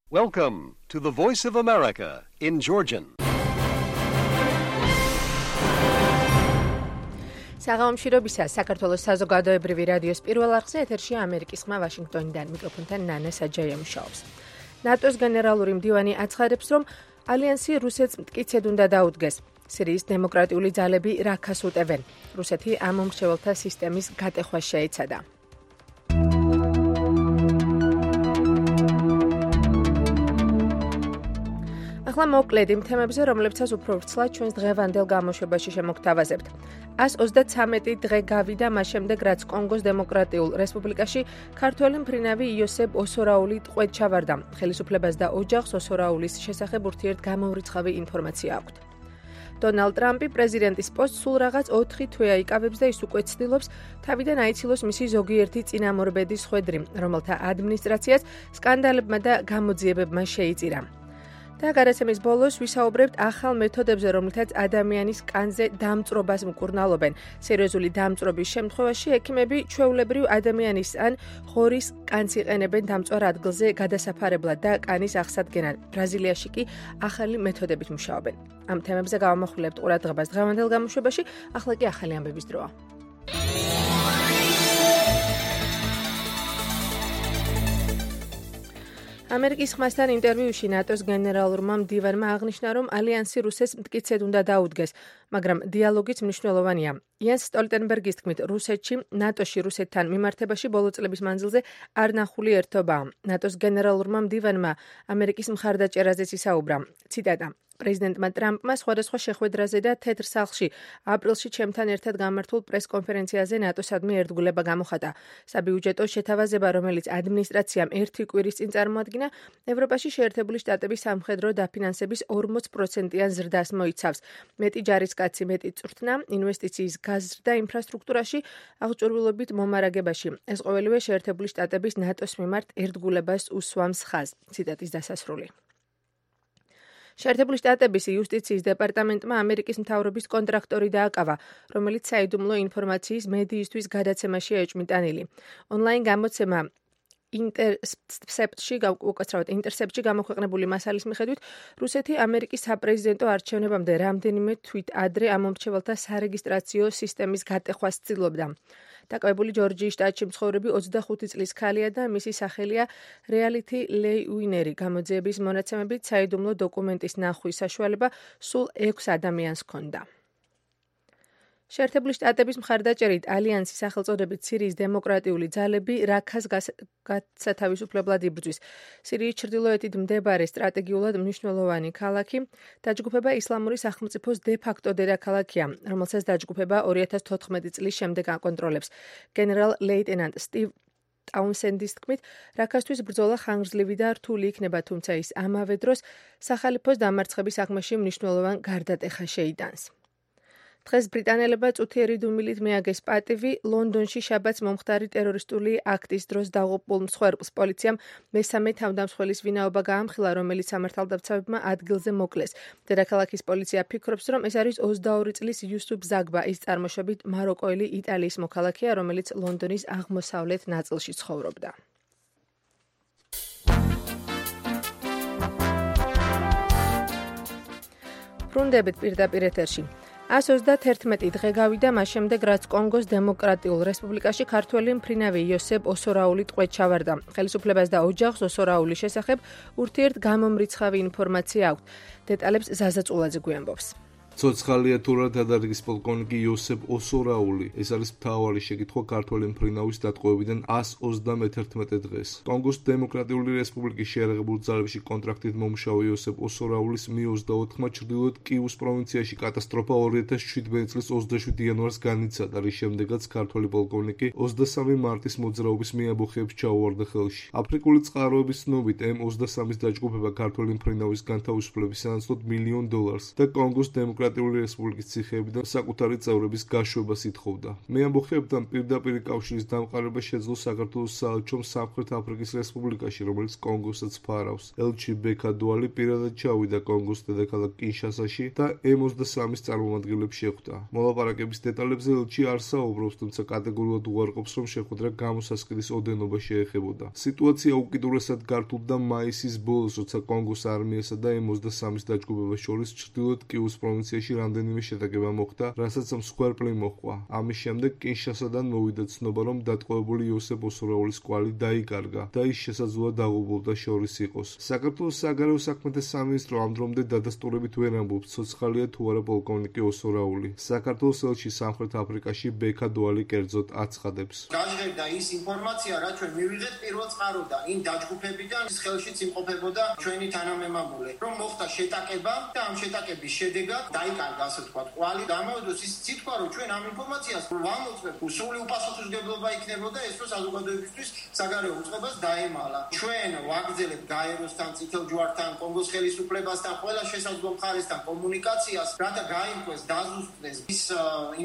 Welcome to the Voice of America in Georgian. საღამომშვიდობისა საქართველოს საზოგადოებრივი რადიოს პირველ არხზე ეთერშია ამერიკის ხმა ვაშინგტონიდან მიკროფონთან ნანა საჯაია მუშაობს. ნატოს გენერალური მდივანი აცხადებს, რომ ალიანსი რუსეთს მტკიცედ უნდა დაუდგეს. სირიის დემოკრატიული ძალები რაქას უტევენ. რუსეთი ამ მომრჩეველთა სისტემის გატეხვას შეეცადა. ახლა მოკლედ იმ თემებზე, რომლებსაც უფრო ვრცლად ჩვენს დღევანდელ გამოშვებაში შემოგთავაზებთ. 133 დღე გავიდა მას შემდეგ, რაც კონგოს დემოკრატიულ რესპუბლიკაში ქართველი მფრინავი იოსებ ოსორაული ტყვედ ჩავარდა. ხელისუფლებას და ოჯახს ოსორაულის შესახებ ურთიერთგამოვრიცხავი ინფორმაცია აქვთ. დონალდ ტრამპი პრეზიდენტის პოსტს სულ რაღაც 4 თვეა იკავებს და ის უკვე ცდილობს თავიდან აიცილოს მისი ზოგიერთი წინამორბედის ხვედრი, რომელთა ადმინისტრაციას სკანდალებმა და გამოძიებებმა შეიწირა. და გადაცემის ბოლოს ვისაუბრებთ ახალ მეთოდებზე, რომლითაც ადამიანის კანზე დამწრობას მკურნალობენ. სერიოზული დამწრობის შემთხვევაში ექიმები ჩვეულებრივ ადამიანის ან ღორის კანს იყენებენ დამწვარ ადგილზე გადასაფარებლად და კანის აღსადგენად. ბრაზილიაში კი ახალი მეთოდებით მუშაობენ. ამ თემებზე გავამახვილებთ ყურადღებას დღევანდელ გამოშვებაში, ახლა კი ახალი ამბების დროა. ამერიკის ხმასთან ინტერვიუში ნატოს გენერალურმა მდივანმა აღნიშნა, რომ ალიანსი რუსეთს მტკიცედ უნდა დაუდგეს, მაგრამ დიალოგიც მნიშვნელოვანია. იანს სტოლტენბერგის თქმით, რუსეთში, ნატოში რუსეთთან მიმართებაში ბოლო წლების მანძილზე არ ნახული ერთობაა. ნატოს გენერალურმა მდივანმა ამერიკის მხარდაჭერაზეც ისაუბრა. ციტატა: პრეზიდენტმა ტრამპმა სხვადასხვა შეხვედრაზე და თეთრ სახლში აპრილში ჩემთან ერთად გამართულ პრესკონფერენციაზე ნატოსადმი ერთგულება გამოხატა. საბიუჯეტო შეთავაზება, რომელიც ადმინისტრაციამ 1 კვირის წინ წარმოადგინა, ევროპაში შეერთებული შტატების სამხედრო დაფინანსების 40%-იან ზრდას მოიცავს. მეტი ჯარისკაცი, მეტი წვრთნა, ინვესტიციის გაზრდა ინფრასტრუქტურაში, აღჭურვილობით მომარაგებაში. ეს ყოველივე შეერთებული შტატების ნატოს მიმართ ერთგულებას უსვამს ხაზს. ციტატის დასასრული. შეერთებული შტატების იუსტიციის დეპარტამენტმა ამერიკის მთავრობის კონტრაქტორი დააკავა, რომელიც საიდუმლო ინფორმაციის მედიისთვის გადაცემაში ეჭვმიტანილი. ონლაინ გამოცემა ინტერსეპტში გამოქვეყნებული მასალის მიხედვით, რუსეთი ამერიკის საპრეზიდენტო არჩევნებამდე რამდენიმე თვით ადრე ამ მომრჩეველთა სარეგისტრაციო სისტემის გატეხვას ცდილობდა. დაკავებული ჯორჯიის შტატში მცხოვრები 25 წლის ქალია და მისი სახელია რეალითი ლეი უინერი. გამოძიების მონაცემებით საიდუმლო დოკუმენტის ნახვის საშუალება სულ 6 ადამიანს ჰქონდა. შეერთებული შტატების მხარდაჭერით ალიანსის სახელწოდებით სირიის დემოკრატიული ძალები რაქას გასათავისუფლებლად იბრძვის. სირიის ჩრდილოეთით მდებარე სტრატეგიულად მნიშვნელოვანი ქალაქი დაჯგუფება ისლამური სახელმწიფოს დე-ფაქტო დედაქალაქია, რომელსაც დაჯგუფება 2014 წლის შემდეგ აკონტროლებს. გენერალ-ლეიტენანტ სტივ ტაუნსენდის თქმით, რაქასთვის ბრძოლა ხანგრძლივი და რთული იქნება, თუმცა ის ამავე დროს სახალიფოს დამარცხების საქმეში მსვლელოვან გარდატეხას შეიტანს. დღეს ბრიტანელებმა წუთიერი დუმილით მიაგეს პატივი ლონდონში შაბათს მომხდარი ტერორისტული აქტის დროს დაღუპულ მსხვერპლს. პოლიციამ მესამე თავდამსხმელის ვინაობა გაამხილა, რომელიც სამართალდამცავებმა ადგილზე მოკლეს. დედაქალაქის პოლიცია ფიქრობს, რომ ეს არის 22 წლის იუსუფ ზაგბა, ის წარმოშობით მაროკოელი იტალიის მოქალაქეა, რომელიც ლონდონის აღმოსავლეთ ნაწილში ცხოვრობდა. ბრუნდებით პირდაპირ ეთერში. 131 დღე გავიდა მას შემდეგ, რაც კონგოს დემოკრატიულ რესპუბლიკაში ქართველი მფრინავი იოსებ ოსორაული ტყვედ ჩავარდა. ხელისუფლებას და ოჯახს ოსორაულის შესახებ ურთიერთგამომრიცხავი ინფორმაცია აქვთ. დეტალებს ზაზა წულაძე გვიამბობს. ცოცხალია თუ რა დადარგის პოლკოვნიკი იოსებ ოსორაული. ეს არის მთავარი შეკითხვა ქართველი მფრინავის დატყვევიდან 131 დღეს. კონგოს დემოკრატიული რესპუბლიკის შეიარაღებულ ძალებში კონტრაქტით მომუშავე იოსებ ოსორაულის Mi-24-მა ჩრდილოეთ კიუს პროვინციაში კატასტროფა 2017 წლის 27 იანვარს განიცადა, რის შემდეგაც ქართველი პოლკოვნიკი 23 მარტის მოძრაობის მიაბოხეებს ჩაუვარდა ხელში. აფრიკული წყაროების ცნობით, M23-ის დაჯგუფება ქართველი მფრინავის განთავისუფლების სანაცვლოდ $1 მილიონ და კონგოს დემოკრატიული დემოკრატიული რესპუბლიკის ციხეებიდან საკუთარი წევრების გაშვებას ითხოვდა. მეამბოხეებთან პირდაპირ კავშირის დამყარება შეძლო საქართველოს საელჩომ სამხრეთ აფრიკის რესპუბლიკაში, რომელიც კონგოსაც ფარავს. ელჩი ბექა დუალი პირადად ჩავიდა კონგოს დედაქალაქ კინშასაში და M23-ის წარმომადგენლებს შეხვდა. მოლაპარაკების დეტალებზე ელჩი არ საუბრობს, თუმცა კატეგორიულად უარყოფს, რომ შეხვედრა გამოსასყიდის ოდენობა შეეხებოდა. სიტუაცია უკიდურესად გართულდა მაისის ბოლოს, როცა კონგოს არმიასა და M23-ის დაჯგუფებას შორის ჩრდილოეთ კიუს პროვინციაში რამდენიმე შეტაკება მოხდა, რასაც მსხვერპლი მოჰყვა. ამის შემდეგ კინშასადან მოვიდა ცნობა, რომ დატყვევებული იოსებ ოსურაულის კვალი დაიკარგა და ის შესაძლოა დაღუპულთა შორის იყოს. საქართველოს საგარეო საქმეთა სამინისტრო ამ დრომდე დადასტურებით ვერ ამბობს, ცოცხალია თუ არა პოლკოვნიკი ოსურაული. საქართველოს ელჩი სამხრეთ აფრიკაში ბექა დუალი კერძოდ აცხადებს. გაჟღერდა ის ინფორმაცია, რაც ჩვენ მივიღეთ პირველ წყაროდან, იმ დაჯგუფებიდან, ის ხელშიც იმყოფებოდა ჩვენი თანამემამულე, რომ მოხდა შეტაკება და ამ შეტაკების შედეგად დაიკარგა, ასე ვთქვათ, კვალი. გამოვიდოს ის სიტყვა, რომ ჩვენ ამ ინფორმაციას ვამოწმებ, სრული უპასუხისმგებლობა იქნებოდა ეს, რომ საზოგადოებისთვის საგარეო უწყებას დაემალა. ჩვენ ვაგრძელებთ გაეროსთან, წითელ ჯვართან, კონგოს ხელისუფლებასთან, ყველა შესაძლო მხარესთან კომუნიკაციას, რათა გაიმკვეს, დაზუსტდეს ის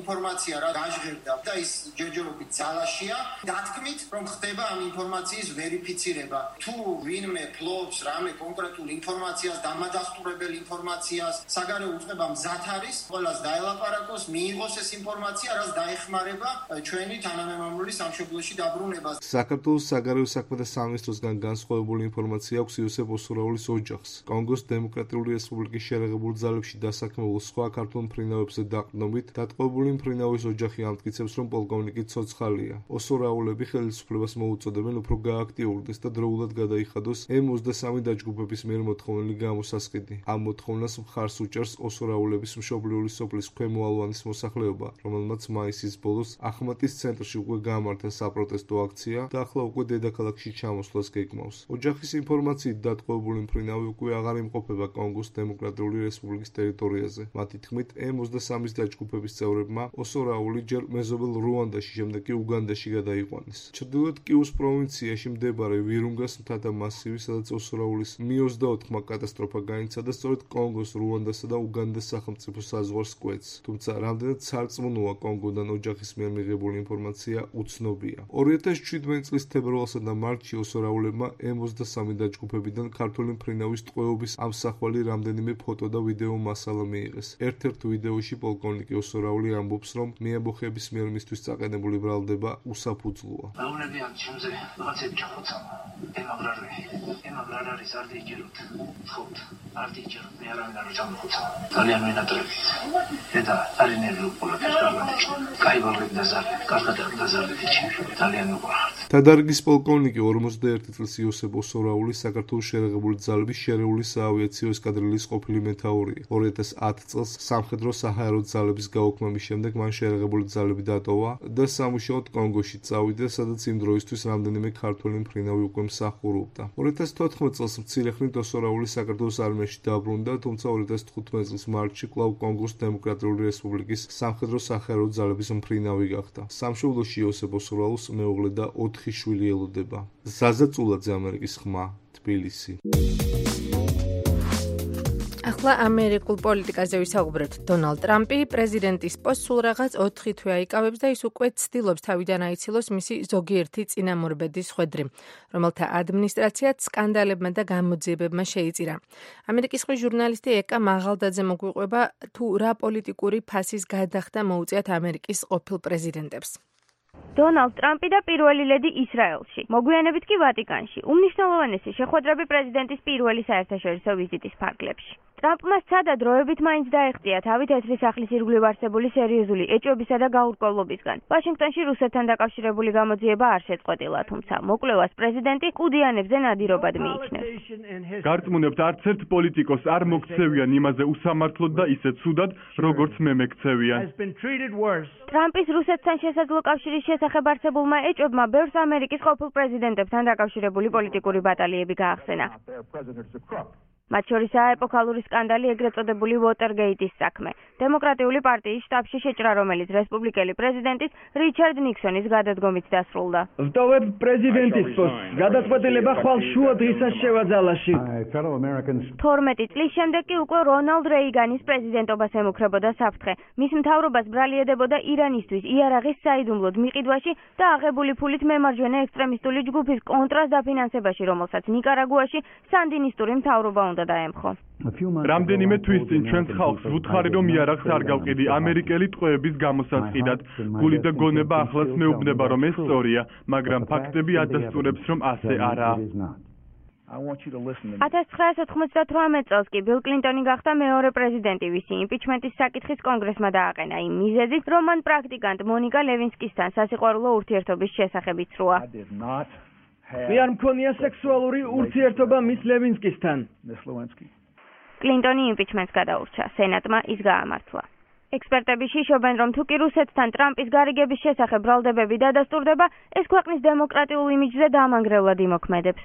ინფორმაცია, რა გაჟღერდა და ის ჯერჯერობით ძალაშია, დათქმით, რომ ხდება ამ ინფორმაციის ვერიფიცირება. თუ ვინმე ფლობს რამე კონკრეტულ ინფორმაციას, დამადასტურებელ ინფორმაციას, საგარეო უწყება მზად არის, ყველას დაელაპარაკოს, მიიღოს ეს ინფორმაცია, რაც დაეხმარება ჩვენი თანამემამულის სამშობლოში დაბრუნებას. საქართველოს საგარეო საქმეთა სამინისტროსგან განსხვავებული ინფორმაცია აქვს იოსებ ოსურაულის ოჯახს. კონგოს დემოკრატიული რესპუბლიკის შერეღებულ ძალებში დასაქმებულ სხვა ქართულ მფრინავებზე დაყრდნობით, დატყვევებული მფრინავის ოჯახი ამტკიცებს, რომ პოლკოვნიკი ცოცხალია. ოსურაულები ხელისუფლებას მოუწოდებენ უფრო გააქტიურდეს და დროულად გადაიხადოს M23 დაჯგუფების მიერ მოთხოვნილი გამოსასყიდი. ამ მოთხოვნას მხარს უჭერს ოსურაულების მშობლიური სოფლის ქვემო ალვანის მოსახლეობა, რომელმაც მაისის ბოლოს ახმატის ცენტრში უკვე გამართა საპროტესტო აქცია და ახლა უკვე დედაქალაქში ჩამოსვლას გეგმავს. ოჯახის ინფორმაციით დატყვევებული მფრინავი უკვე აღარ იმყოფება კონგოს დემოკრატიული რესპუბლიკის ტერიტორიაზე. მათი თქმით, M23-ის დაჯგუფების წევრებმა ოსურაული ჯერ მეზობელ რუანდაში, შემდეგ კი უგანდაში გადაიყვანეს. ჩრდილოეთ კიუს პროვინციაში მდებარე ვირუნგას მთათა მასივი, სადაც ოსურაულის Mi-24-მა კატასტროფა გაინცა და სწორედ კონგოს, რუანდასა და უგანდას სახელმწიფო საზღვარს კვეთს. თუმცა რამდენად სარწმუნოა კონგოდან ოჯახის მიერ მიღებული ინფორმაცია უცნობია. 2017 წლის თებერვალსა და მარტში ოსურაულებმა M23 დაჯგუფებიდან ქართული მფრინავის ტყვეობის ამსახველი რამდენიმე ფოტო და ვიდეო მასალა მიიღეს. ერთ-ერთ ვიდეოში პოლკოვნიკი ოსურაული ამბობს, რომ მეამბოხეების მიერ მისთვის წაყენებული ბრალდება უსაფუძვლოა. მეუბნებიან ჩემზე რაღაცები ჩახოცა. ემაგრარ არის არ დიჯეროთ. ხოთ, არ დიჯეროთ, მე არავინ არ ჩამოხოცა. ძალიან მინატრებით. და არინერვი პოლიტიკას გარდაჭრა. კაიბალები დაზარდეთ, კარგად დაზარდეთ ჩემს. ძალიან უყვართ. თადარიგის პოლკოვნიკი 51 წლის იოსებ ოსურაული საქართველოს შერეღებული ძალების შერეული საავიაციო ესკადრილიის ყოფილი მეთაურია. 2010 წელს სამხედრო საჰაერო ძალების გაუქმების შემდეგ მან შერეღებული ძალები დატოვა და სამუშაოდ კონგოში წავიდა, სადაც იმ დროისთვის რამდენიმე ქართველი მფრინავი უკვე მსახურობდა. 2014 წელს მცირეხნით ოსურაული საქართველოს არმიაში დაბრუნდა, თუმცა 2015 წლის მარტში კვლავ კონგოს დემოკრატიული რესპუბლიკის სამხედრო საჰაერო ძალების მფრინავი გახდა. სამშობლოში იოსებ ოსურაულს მეუღლე და 4 შვილი ელოდება. ზაზა წულაძე, ამერიკის ხმა, თბილისი. ახლა ამერიკულ პოლიტიკაზე ვისაუბრებთ. დონალდ ტრამპი პრეზიდენტის პოსტს სულ რაღაც 4 თვე აიკავებს და ის უკვე ცდილობს თავიდან აიცილოს მისი ზოგიერთი წინამორბედის ხვედრი, რომელთა ადმინისტრაციაც სკანდალებმა და გამოძიებებმა შეიწირა. ამერიკის ხმის ჟურნალისტი ეკა მაღალდაძე მოგვიყვება, თუ რა პოლიტიკური ფასის გადახდა მოუწიათ ამერიკის ყოფილ პრეზიდენტებს. დონალდ ტრამპი და პირველი ლედი ისრაელში, მოგვიანებით კი ვატიკანში. უმნიშვნელოვანესი შეხვედრები პრეზიდენტის პირველი საერთაშორისო ვიზიტის ფარგლებში. ტრამპმა სცადა დროებით მაინც დაეხტია თავი თეთრი სახლის ირგვლივ არსებული სერიოზული ეჭვებისა და გაურკვევლობისგან. ვაშინგტონში რუსეთთან დაკავშირებული გამოძიება არ შეწყვეტილა, თუმცა მოკვლევას პრეზიდენტი კუდიანებზე ნადირობად მიიჩნევს. გარწმუნებთ, არც ერთ პოლიტიკოს არ მოქცევიან იმაზე უსამართლოდ და ისე ცუდად, როგორც მე მექცევიან. ტრამპის რუსეთთან შესაძლო კავშირის შესახებ არსებულმა ეჭვებმა ბევრს ამერიკის ყოფილ პრეზიდენტებთან დაკავშირებული პოლიტიკური ბატალიები გაახსენა. მათ შორისაა ეპოქალური სკანდალი ეგრეთ წოდებული Watergate-ის საქმე. დემოკრატიული პარტიის შტაბში შეჭრა, რომელიც რესპუბლიკელი პრეზიდენტის რიჩარდ ნიქსონის გადადგომით დასრულდა. ვტოვებ პრეზიდენტის პოსტს. გადაწყვეტილება ხვალ შუა დღისას შევაძალაში. 12 წლის შემდეგ კი უკვე რონალდ რეიგანის პრეზიდენტობას ემუქრებოდა საფრთხე. მის მთავრობას ბრალი ედებოდა ირანისთვის იარაღის საიდუმლოდ მიყიდვაში და აღებული ფულით მემარჯვენე ექსტრემისტული ჯგუფის კონტრას დაფინანსებაში, რომელსაც ნიკარაგუაში სანდინისტური მთავრობა უნდა დაემხო. რამდენიმე თვის წინ ჩვენს ხალხს ვუთხარი, რომ იარაღს არ გავყიდი ამერიკელი ტყვეების გამოსაწყიდად. გული და გონება ახლაც მეუბნება, რომ ეს სწორია, მაგრამ ფაქტები ადასტურებს, რომ ასე არაა. 1998 წელს კი ბილ კლინტონი გახდა მეორე პრეზიდენტი, ვისი იმპიჩმენტის საკითხის კონგრესმა დააყენა იმ მიზეზით, რომ მან პრაქტიკანტ მონიკა ლევინსკისთან სასიყვარულო ურთიერთობის შესახებ იცრუა. მე არ მქონია სექსუალური ურთიერთობა მის ლევინსკისთან. კლინტონი იმპიჩმენტს გადაურჩა, სენატმა ის გაამართლა. ექსპერტები შიშობენ, რომ თუ კი რუსეთთან ტრამპის გარიგების შესახებ ბრალდებები დადასტურდება, ეს ქვეყნის დემოკრატიულ იმიჯზე დამანგრევლად იმოქმედებს.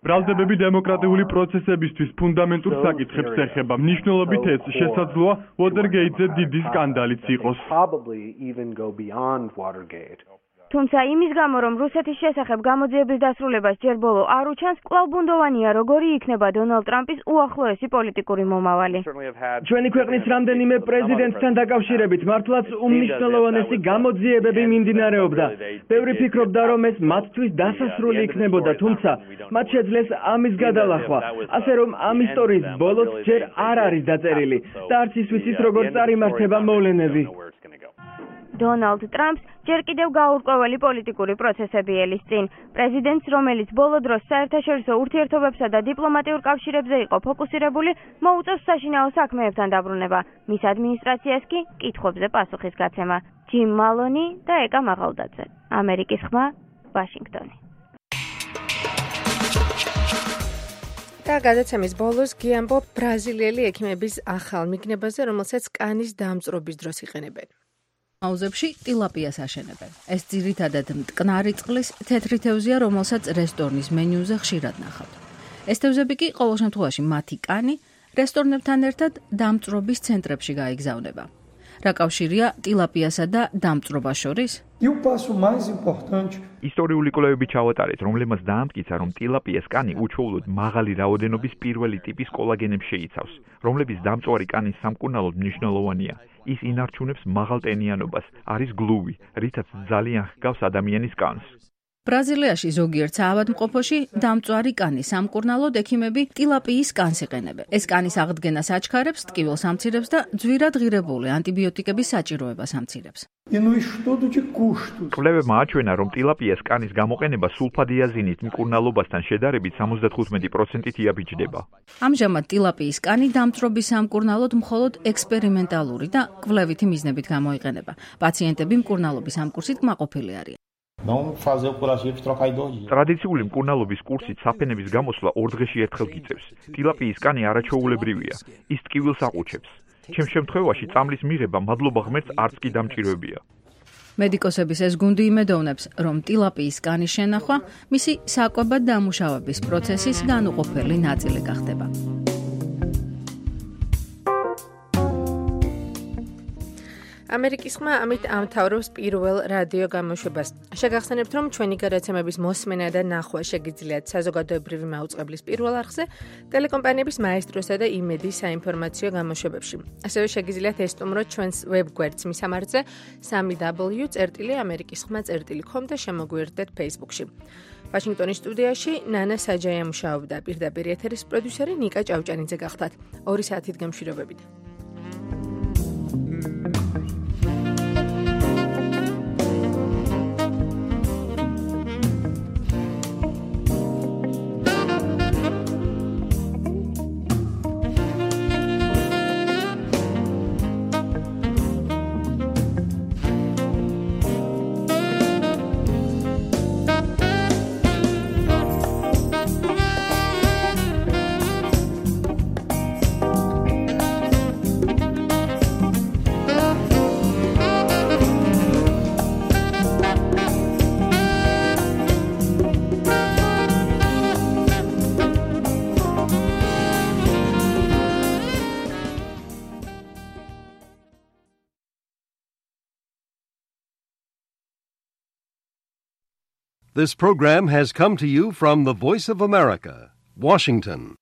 ბრალდებები დემოკრატიული პროცესებისთვის ფუნდამენტურ საკითხებს ეხება. მნიშვნელობით ეს შესაძლოა Watergate-ზე დიდი სკანდალიც იყოს. თუმცა იმის გამო, რომ რუსეთის შესახებ გამოძიების დასრულებას ჯერ ბოლო არ უჩანს, კვლავ ბუნდოვანია, როგორი იქნება დონალდ ტრამპის უახლოესი პოლიტიკური მომავალი. ჩვენი ქვეყნის რამდენიმე პრეზიდენტთან დაკავშირებით მართლაც უმნიშვნელოვანესი გამოძიებები მიმდინარეობდა. ბევრი ფიქრობდა, რომ ეს მათთვის დასასრული იქნებოდა, თუმცა მათ შეძლეს ამის გადალახვა, ასე რომ ამ ისტორიის ბოლოს ჯერ არ არის დაწერილი და არც ის ვიცის, როგორ წარიმართება მოვლენები. დონალდ ტრამპს ჯერ კიდევ გაურკვეველი პოლიტიკური პროცესები ელის წინ. პრეზიდენტს, რომელიც ბოლო დროს საერთაშორისო ურთიერთობებსა და დიპლომატიურ კავშირებზე იყო ფოკუსირებული, მოუწევს საშინაო საქმეებთან დაბრუნება. მის ადმინისტრაციას კი კითხვებზე პასუხის გაცემა. ჯიმ მალონი და ეკა მაღალდაძე. ამერიკის ხმა, ვაშინგტონი. და გადაცემის ბოლოს გიამბო ბრაზილიელი ექიმების ახალ მიგნებაზე, რომელსაც კანის დამწრობის დროს იყენებენ. აუზებში ტილაპიას აშენებენ. ეს ძირითადად მტკნარი წყლის თეთრი თევზია, რომელსაც რესტორნის მენიუზე ხშირად ნახავთ. ეს თევზები კი ყოველ შემთხვევაში მათი კანი რესტორნებთან ერთად დამწრობის ცენტრებში გაიგზავნება. რა კავშირია ტილაპიასა და დამწრობას შორის? ისტორიული კვლევები ჩავატარეთ, რომლებმაც დაამტკიცა, რომ ტილაპიას კანი უჩვეულოდ მაღალი რაოდენობის პირველი ტიპის კოლაგენებს შეიცავს, რომლებიც დამწვარი კანის სამკურნალოდ მნიშვნელოვანია. ის ინარჩუნებს მაღალ ტენიანობას, არის გლუვი, რითაც ძალიან ჰგავს ადამიანის კანს. ბრაზილიაში ზოგიერთ საავადმყოფოში დამწვარი კანის სამკურნალოდ ექიმები ტილაპიის კანს იყენებენ. ეს კანის აღდგენას აჩქარებს, ტკივილს ამცირებს და ძვირად ღირებული ანტიბიოტიკების საჭიროებას ამცირებს. კვლევებმა აჩვენა, რომ ტილაპიას კანის გამოყენება სულფადიაზინით მკურნალობასთან შედარებით 75%-ით იაბიჯდება. ამჟამად ტილაპიის კანი დამწრობის სამკურნალოდ მხოლოდ ექსპერიმენტალური და კვლევითი მიზნებით გამოიყენება. პაციენტები მკურნალობის ამ კურსით კმაყოფილი არიან. ტრადიციული მკურნალობის კურსით საფენების გამოსვლა 2 დღეში ერთხელ გიწევს. ტილაპიის კანი არაჩვეულებრივია, ის ტკივილს აყუჩებს. ჩემ შემთხვევაში წამლის მიღება მადლობა ღმერთს არც კი დამჭირვებია. მედიკოსების ეს გუნდი იმედოვნებს, რომ ტილაპიის კანის შენახვა მისი საკვებად დამუშავების პროცესის განუყოფელი ნაწილი გახდება. ამერიკის ხმა ამით ამთავრებს პირველ რადიო გამოშვებას. შეგახსენებთ, რომ ჩვენი გადაცემების მოსმენა და ნახვა შეგიძლიათ საზოგადოებრივი მაუწყებლის პირველ არხზე, ტელეკომპანიების მაესტროსა და იმედის საინფორმაციო გამოშვებებში. ასევე შეგიძლიათ ესტუმროთ ჩვენს ვებგვერდს მისამართზე www.amerikiskhma.com და შემოგვიერთდეთ Facebook-ში. ვაშინგტონის სტუდიაში ნანა საჯაია მუშაობდა, პირდაპირ ეთერის პროდიუსერი ნიკა ჭავჭანიძე გახდათ. 2 საათით გამშვიდობებით. This program has come to you from the Voice of America, Washington.